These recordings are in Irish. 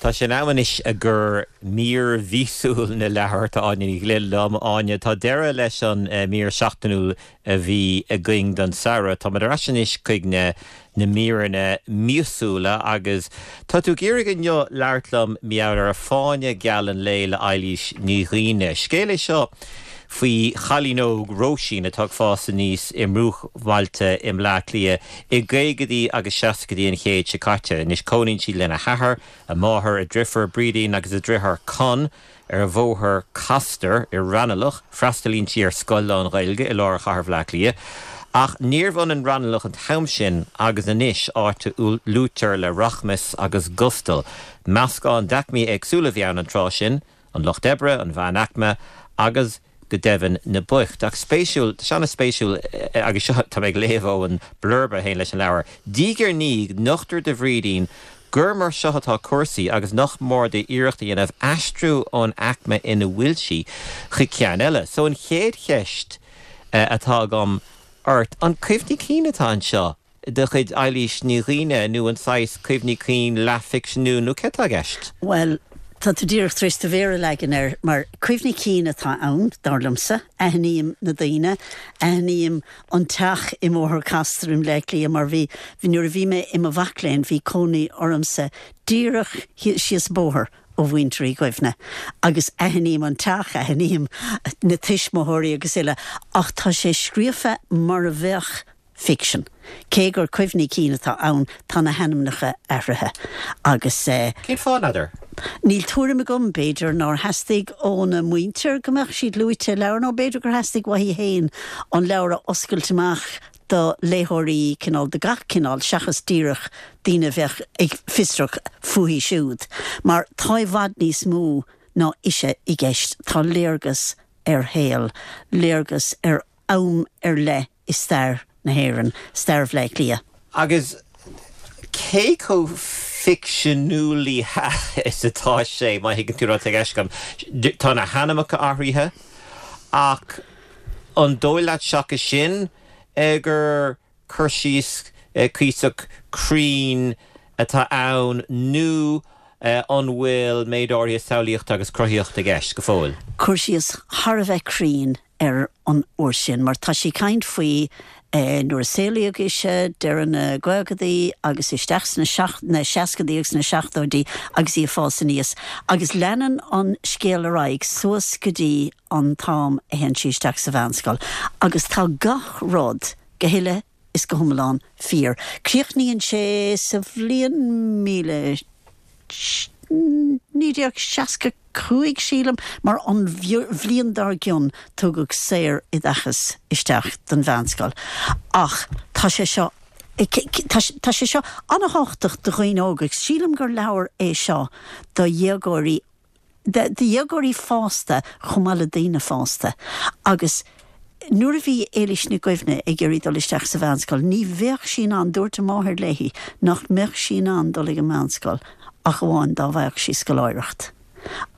Tá sé in am anois i gcomhair mír mhíosúil na leabhar. Tá Áine Ní Ghlinn liom. Áine, tá deireadh leis an mír seachtainiúil a bhí againn don samhradh. Táimid ar ais anois chuig na na míreanna míosúla agus tá tú ag iarraidh inniu labhairt liom mar gheall ar Fáinne Geal an Lae le Eilís Ní Dhuibhne. Scéal é seo faoi chailín óg, Róisín, atá ag fás aníos i mbruachbhailte i mBleá Cliath i gcaogaidí agus seascaidí an chéid seo caite. Anois cónaíonn sí lena hathair, a máthair, a driofúr Brídín agus a driotháir Con ar Bhóthar Castor i Raghnallach. Freastalaíonn sí ar scoil lán-Ghaeilge i lár chathair Bhaile Átha Cliath. Ach níorbh ionann Raghnallach an t-am sin agus anois, áit a luaitear le rachmas agus gustal. Meascán d'aicmí éagsúla a bhí ann an tráth sin, an lucht oibre, an mheánaicme agus go deimhin na boicht. Ach spéisiúil, tá sé an-spéisiúil, agus seo, tá mé ag léamh ó an blurb a théann leis an leabhar, Diaidh ar ndiaidh, nochtar do Bhrídín gur mar seo atá cúrsaí agus nach mór di iarracht a dhéanamh aistriú ón aicme ina bhfuil sí chuig ceann eile. So an chéad cheist atá agam ort, an cuimhní cinn atá anseo? de chuid Eilís Ní Dhuibhne nó an saghas cuimhní cinn leathfhicseanúil nó céard atá i gceist? Bhuel, tá tú díreach tar éis do mhéar a leagan air, mar cuimhní cinn atá ann, dar liomsa. Aithním na daoine, aithním an teach i mBóthar Castor i mBleá Cliath mar bhí, nuair a bhí mé i mo mhac léinn, bhí cónaí ormsa díreach síos an bóthar ó mhuintir Uí Dhuibhne agus aithním an teach, aithním na tuismitheoirí agus uile ach tá sé scríofa mar a bheadh ficsean. Cé gur cuimhní cinn atá ann, tá na hainmneacha athraithe agus. Cén fáth, n'fheadar? Níl tuairim agam, b'fhéidir nár theastaigh óna muintir go mbeadh siad luaite i leabhar nó b'fhéidir gur theastaigh uaithi féin an leabhar a oscailt amach do léitheoirí cineál de gach cineál seachas díreach daoine a bheadh ag fiosrach fúithi siúd. Mar tá i bhfad níos mó ná ise i gceist, tá léargas ar shaol, léargas ar am ar leith i stair na hÉireann, stair Bhaile Átha Cliath. Agus cé chomh ficseanúlaithe is atá sé, má thuigeann tú rud atá i gceist agam? Tá na hainmneacha athraithe, ach an dóigh leat seachas sin gur cur síos cuíosach cruinn atá ann nó an bhfuil méid áirithe samhlaíochta agus cruthaíochta i gceist go fóill? Cur síos thar a bheith cruinn ar an uair sin, mar tá sí ag caint faoi nuair a saolaíodh ise, deireadh na gcaogadaí agus isteach sna na seascadaí agus na seachtóidí agus í ag fás aníos. Agus leanann an scéal ar aghaidh suas go dtí an t-am a théann sí isteach sa mheánscoil. Agus tá gach rud go huile is go hiomlán fíor. Críochnaíonn sé sa bhliain 1965, sílim, mar an bhliain dár gcionn tugadh saor-oideachas isteach don mheánscoil. Ach tá sé seo, tá sé seo an-thábhachtach do dhaoine óga agus sílim gur leabhar é seo do dhéagóirí do dhéagóirí fásta chomh maith le daoine fásta agus nuair a bhí Éilís Nic Dhuibhne ag iarraidh dul isteach sa mheánscoil ní bheadh sí in ann, dúirt a máthair léi nach mbeadh sí in ann dul ag an meánscoil ach amháin dá bhfaigheadh sí scoláireacht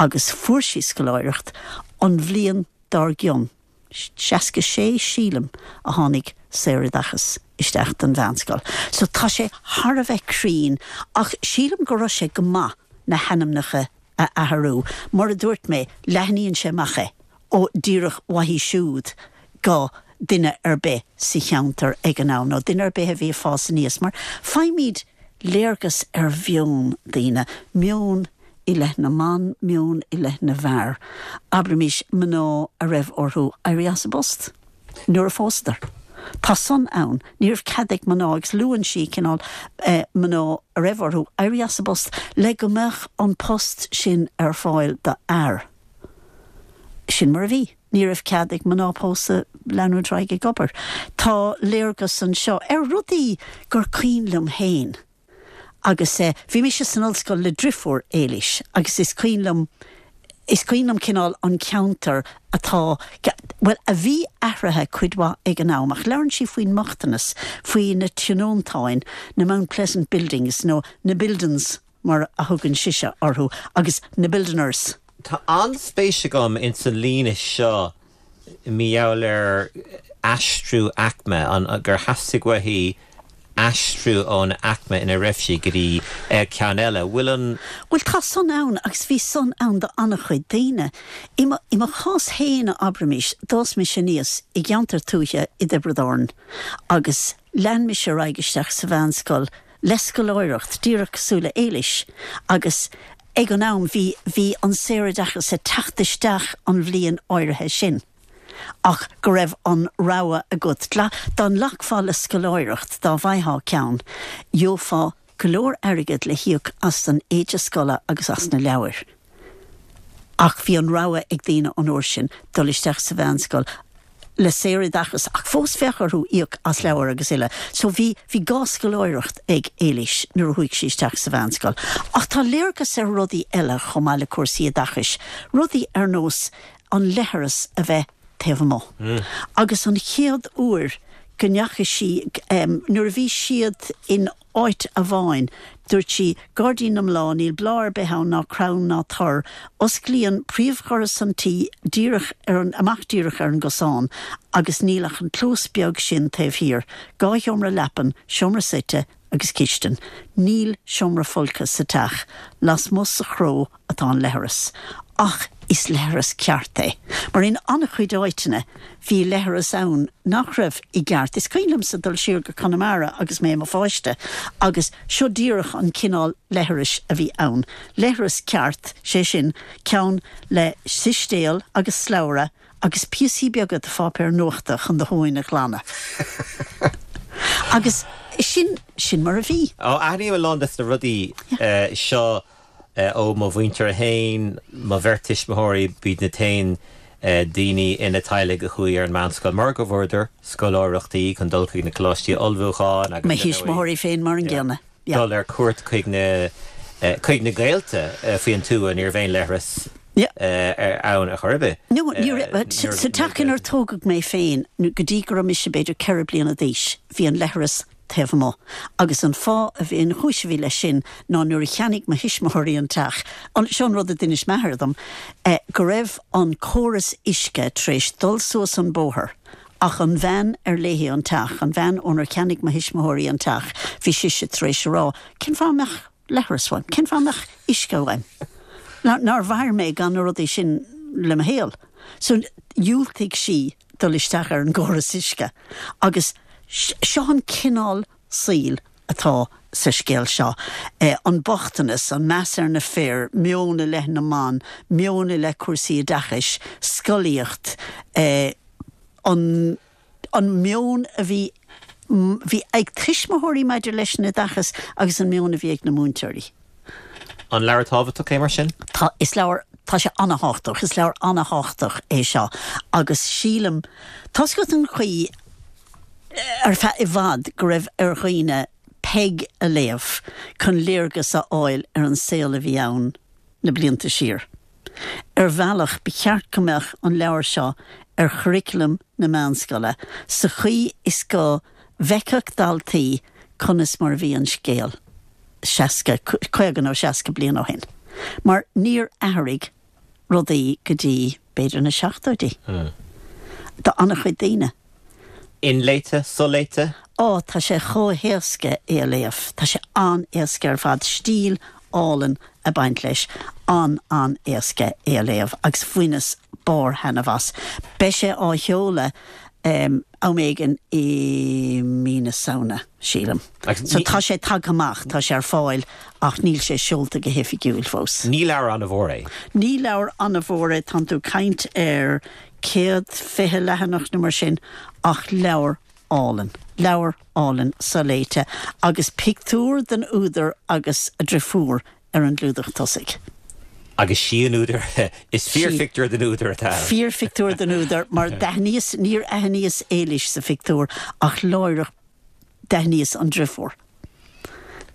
agus fuair sí scoláireacht an bhliain dár gcionn. 66 sílim a tháinig saoroideachas isteach don mheánscoil. So tá sé thar a bheith cruinn ach sílim go raibh sé go maith na hainmneacha a athrú. Mar a dúirt mé, leathnaíonn sé amach é ó díreach uaithi siúd go duine ar bith sa cheantar ag an am nó duine ar bith a bhí ag fás aníos mar faighimid léargas ar mheon daoine, meon i leith na mban, meon i leith na bhfear, abraimis mná a raibh orthu éirí as a bpost nuair a phósadar. Tá san ann. Ní raibh cead ag mná, agus luann sí cineál mná a raibh orthu éirí as a bpost le go mbeadh an post sin ar fáil do fhear. Sin mar a bhí. Ní raibh cead ag mná pósta leanúint ar aghaidh ag obair. Tá léargas anseo ar rudaí gur cuimhin liom féin. Agus bhí mise san ollscoil le driofúr Éilís agus is cuimhin liom, is cuimhin liom cineál an ceantar atá, bhuel, a bhí athraithe cuid mhaith ag an am ach labhrann sí faoin mbochtanas, faoi na tionóntáin, na Mount Pleasant Buildings nó na buildings mar a thugann sise orthu agus na buildiners. Tá an-spéis agam ins an líne seo mar gheall ar aistriú aicme, an, gur theastaigh uaithi. aistriú ón aicme ina raibh sí go dtí ceann eile. Bhfuil an. Bhuel, tá san ann agus bhí san ann do an-chuid daoine. I mo, i mo chás féin, abraimis, d'fhás mise aníos i gceantar tuaithe i dTiobraid Árann agus lean mise ar aghaidh isteach sa mheánscoil le scoláireacht, díreach cosúil le Éilís, agus ag an am bhí, bhí an saoroideachas ag teacht isteach an bhliain áirithe sin. Ach go raibh an rogha agat. Dá nglacfá le scoláireacht, dá bhfaightheá ceann, gheofá go leor airgead le híoc as an éide scoile agus as na leabhair. Ach bhí an rogha ag daoine an uair sin dul isteach sa mheánscoil le saoroideachas ach fós bheadh orthu íoc as leabhair agus uile. So bhí, bhí gá scoláireacht ag Éilís nuair a chuaigh sí isteach sa mheánscoil. Ach tá léargas ar rudaí eile chomh maith le cúrsaí oideachais, rudaí ar nós an leithreas a bheith taobh amuigh. Agus an chéad uair go ndeachaigh sí, nuair a bhí siad in áit amháin, dúirt sí, Gairdín na mBláth, níl bláth ar bith ann ná crann ná tor, osclaíonn príomhdhoras an tí díreach ar an, amach díreach ar an gcosán agus níl ach an clós beag sin taobh thiar, 2 sheomra leapan, seomra suite agus cistin. Níl seomra folctha sa teach. Lasmuigh sa chró atá an leithreas. Ach is leithreas ceart é. Mar in an-chuid áiteanna bhí leithreas ann nach raibh i gceart. Is cuimhin liomsa dul siar go Conamara agus mé i mo pháiste agus seo díreach an cineál leithris a bhí ann. Leithreas ceart, sé sin, ceann le sistéal agus slabhra agus píosaí beaga de pháipéar nuachta chun do thóin a ghlanadh. Agus sin, sin mar a bhí. Ó, aithním a lán des na rudaí seo ó mo mhuintir féin, mo bheirt tuismitheoirí, b'iad na t-aon daoine ina teaghlaigh a chuaigh ar an meánscoil mar go bhfuaireadar scoláireachtaí chun dul chuig na coláistí ullmhúcháin agus, Mo thuismitheoirí féin mar an gcéanna. Yeah. dul ar cuairt chuig na chuig na gaolta faoin tuath, ní raibh aon leithreas ann ar chor ar bith. No, ní raibh. Sa teach inar tógadh mé féin, go dtí go raibh mise b'fhéidir 4 bliana d'aois, bhí an leithreas taobh amuigh. Agus an fáth a bhí, an chúis a bhí leis sin ná nuair a cheannaigh mo thuismitheoirí an teach, seo an rud a d'inis m'athair dom, go raibh an córas uisce tar éis dul suas an bóthar ach an bhean ar léi an teach, an bhean ónar cheannaigh mo thuismitheoirí an teach, bhí sise tar éis a rá, cén fáth a mbeadh leithreas uaim? Cén fáth a mbeadh uisce uaim? Nár mhair mé gan na rudaí sin le mo shaol? So dhiúltaigh sí dul isteach ar an gcóras uisce agus seo an cineál saoil atá sa scéal seo, an bochtanas, an meas ar na fir, meon i leith na mban, meon i leith cúrsaí oideachais, scolaíocht, an an meon a bhí bhí ag tuismitheoirí maidir leis an oideachas agus an meon a bhí ag na múinteoirí. An leabhar tábhachtach é mar sin? Tá, is leabhar, tá sé an-thábhachtach, is leabhar an-thábhachtach é seo agus sílim, tá's agat an chaoi ar feadh i bhfad go raibh ar dhaoine Peig a léamh chun léargas a fháil ar an saol a bhí ann na blianta siar. Ar bhealach, ba cheart go mbeadh an leabhar seo ar churriculum na meánscoile sa chaoi is go bhfeicfeadh daltaí conas mar a bhí an scéal 60, 50 nó 60 bliain ó shin. Mar níor athraigh rudaí go dtí, b'fhéidir, na seachtóidí. Do an-chuid daoine. Inléite, soléite? Ó, tá sé chomh héasca é a léamh. Tá sé an-éasca ar fad. Stíl álainn ag baint leis. An-an-éasca é a léamh agus bhaineas barr-thaitneamh as. Beidh sé á sheoladh am éigin i mí na Samhna, sílim. So tá sé tagtha amach, tá sé ar fáil ach níl sé seolta go hoifigiúil fós. Ní leabhar an-mhór é. Ní leabhar an-mhór é, tánn tú ag caint ar 120 leathanach nó mar sin, ach leabhar álainn. Leabhar álainn soléite agus pictiúr den údar agus a driofúr ar an gclúdach tosaigh. Agus sí an údar, is fíorphictiúr den údar atá ann. Fíorphictiúr den údar, mar d'aithníos, níor aithníos Éilís sa phictiúr ach láithreach d'aithníos an driofúr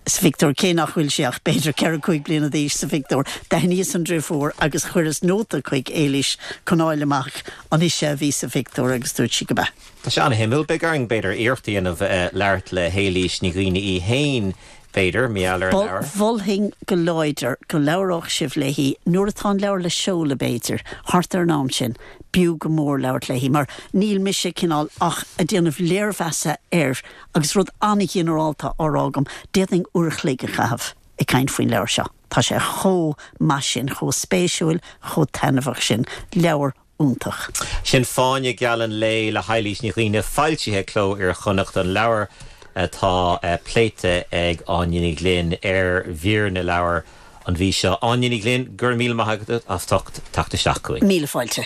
sa phictiúr, cé nach bhfuil sí ach b'fhéidir ceithre, cúig bliana d'aois sa phictiúr. D'aithníos an driofúr agus chuireas nóta chuig Éilís chun fháil amach an ise a bhí sa phictiúr agus dúirt sí go b'ea. Tá sé an-shuimiúil. Beidh orainn, b'fhéidir, iarracht a dhéanamh labhairt le hÉilís Ní Dhuibhne í fhéin. B'fhéidir, mar gheall ar an leabhar. Mholfainn go láidir go labhródh sibh léi nuair atá an leabhar le seoladh, b'fhéidir, thart ar an am sin. B'fhiú go mór labhairt léi, mar níl mise cineál ach ag déanamh léirmheasa air agus rud an-ghinearálta á rá agam. D'fhéadfainn uair a chloig a chaitheamh ag caint faoin leabhar seo. Tá sé chomh maith sin, chomh spéisiúil, chomh taitneamhach sin. Leabhar iontach. Sin Fáinne Geal an Lae le hEilís Ní Dhuibhne, foilsithe ag Cló Iar-Chonnacht, an leabhar atá pléite ag Áine Ní Ghlinn ar mhír na leabhar an mhí seo. Áine Ní Ghlinn, go raibh míle maith agat as ucht teacht isteach chugainn. Míle fáilte.